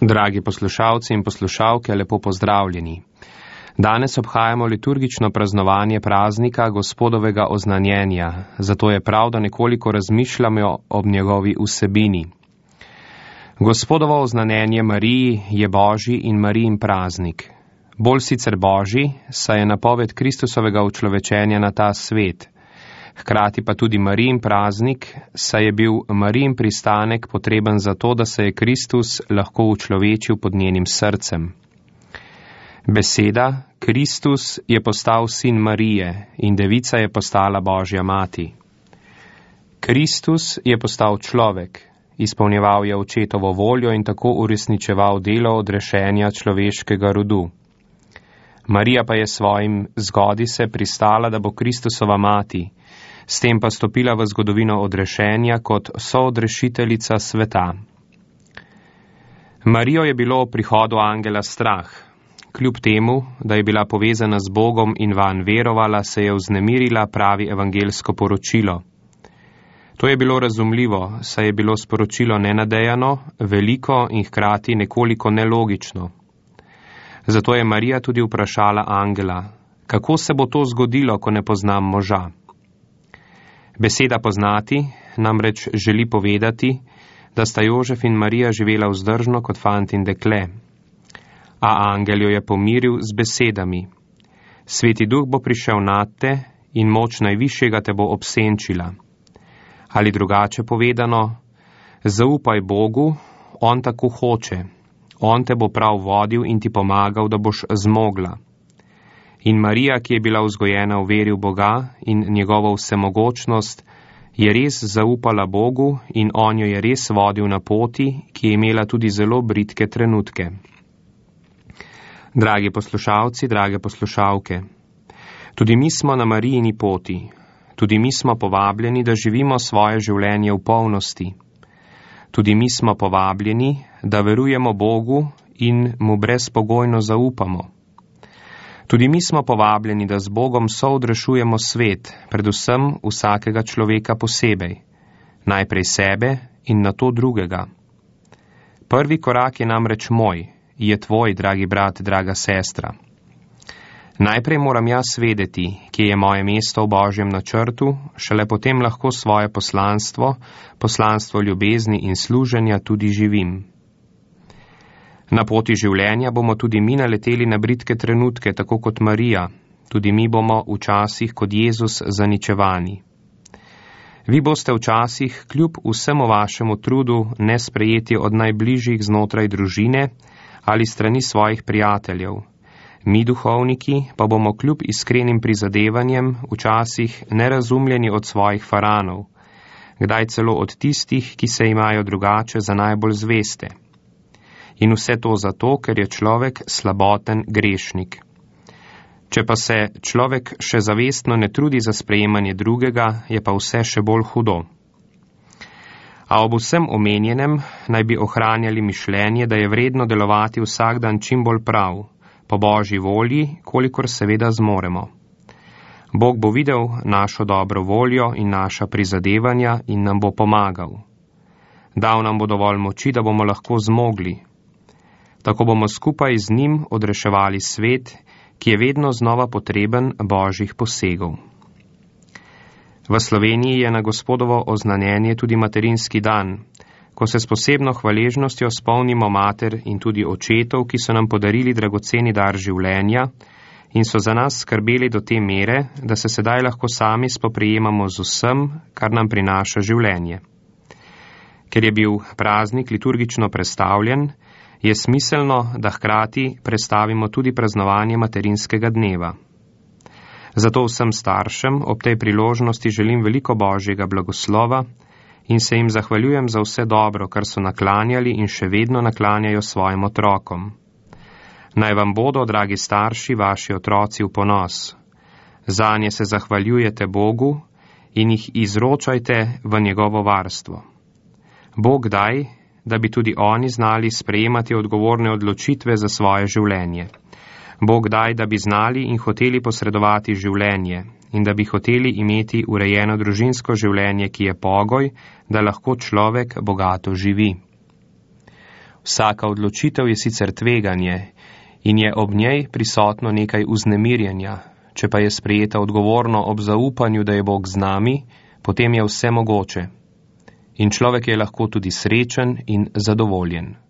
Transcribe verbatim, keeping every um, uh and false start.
Dragi poslušalci in poslušalke, lepo pozdravljeni. Danes obhajamo liturgično praznovanje praznika Gospodovega oznanjenja, zato je prav, da nekoliko razmišljamo ob njegovi vsebini. Gospodovo oznanjenje Mariji je Božji in Marijin praznik. Bolj sicer Božji, saj je napoved Kristusovega učlovečenja na ta svet. Hkrati pa tudi Marijin praznik, saj je bil Marijin pristanek potreben za to, da se je Kristus lahko učlovečil pod njenim srcem. Beseda, Kristus, je postal sin Marije in devica je postala Božja mati. Kristus je postal človek, izpolnjeval je očetovo voljo in tako uresničeval delo odrešenja človeškega rodu. Marija pa je svojim zgodi se pristala, da bo Kristusova mati, s tem pa stopila v zgodovino odrešenja kot soodrešiteljica sveta. Marijo je bilo ob prihodu angela strah. Kljub temu, da je bila povezana z Bogom in vanj verovala, se je vznemirila, pravi evangelsko poročilo. To je bilo razumljivo, saj je bilo sporočilo nenadejano, veliko in hkrati nekoliko nelogično. Zato je Marija tudi vprašala angela, kako se bo to zgodilo, ko ne poznam moža. Beseda poznati namreč želi povedati, da sta Jožef in Marija živela vzdržno kot fant in dekle. A angel jo je pomiril z besedami. Sveti duh bo prišel nad te in moč najvišjega te bo obsenčila. Ali drugače povedano, zaupaj Bogu, on tako hoče. On te bo prav vodil in ti pomagal, da boš zmogla. In Marija, ki je bila vzgojena v veri v Boga in njegovo vsemogočnost, je res zaupala Bogu in on jo je res vodil na poti, ki je imela tudi zelo bridke trenutke. Dragi poslušalci, drage poslušalke, tudi mi smo na Marijini poti, tudi mi smo povabljeni, da živimo svoje življenje v polnosti. Tudi mi smo povabljeni, da verujemo Bogu in mu brezpogojno zaupamo. Tudi mi smo povabljeni, da z Bogom soodrešujemo svet, predvsem vsakega človeka posebej, najprej sebe in nato drugega. Prvi korak je namreč moj, je tvoj, dragi brat, draga sestra. Najprej moram jaz vedeti, kje je moje mesto v Božjem načrtu, šele potem lahko svoje poslanstvo, poslanstvo ljubezni in služenja tudi živim. Na poti življenja bomo tudi mi naleteli na bridke trenutke, tako kot Marija, tudi mi bomo včasih kot Jezus zaničevani. Vi boste včasih kljub vsemu vašemu trudu nesprejeti od najbližjih znotraj družine ali strani svojih prijateljev. Mi, duhovniki, pa bomo kljub iskrenim prizadevanjem včasih nerazumljeni od svojih faranov, kdaj celo od tistih, ki se imajo drugače za najbolj zveste. In vse to zato, ker je človek slaboten grešnik. Če pa se človek še zavestno ne trudi za sprejemanje drugega, je pa vse še bolj hudo. A ob vsem omenjenem naj bi ohranjali mišljenje, da je vredno delovati vsak dan čim bolj prav, po Božji volji, kolikor seveda zmoremo. Bog bo videl našo dobro voljo in naša prizadevanja in nam bo pomagal. Dal nam bo dovolj moči, da bomo lahko zmogli. Tako bomo skupaj z njim odreševali svet, ki je vedno znova potreben Božjih posegov. V Sloveniji je na Gospodovo oznanjenje tudi materinski dan, ko se s posebno hvaležnostjo spomnimo mater in tudi očetov, ki so nam podarili dragoceni dar življenja in so za nas skrbeli do te mere, da se sedaj lahko sami spoprijemamo z vsem, kar nam prinaša življenje. Ker je bil praznik liturgično prestavljen, je smiselno, da hkrati prestavimo tudi praznovanje materinskega dneva. Zato vsem staršem ob tej priložnosti želim veliko Božjega blagoslova in se jim zahvaljujem za vse dobro, kar so naklanjali in še vedno naklanjajo svojim otrokom. Naj vam bodo, dragi starši, vaši otroci v ponos. Zanje se zahvaljujete Bogu in jih izročajte v njegovo varstvo. Bog daj, da bi tudi oni znali sprejemati odgovorne odločitve za svoje življenje. Bog daj, da bi znali in hoteli posredovati življenje in da bi hoteli imeti urejeno družinsko življenje, ki je pogoj, da lahko človek bogato živi. Vsaka odločitev je sicer tveganje in je ob njej prisotno nekaj vznemirjenja, če pa je sprejeta odgovorno ob zaupanju, da je Bog z nami, potem je vse mogoče. In človek je lahko tudi srečen in zadovoljen.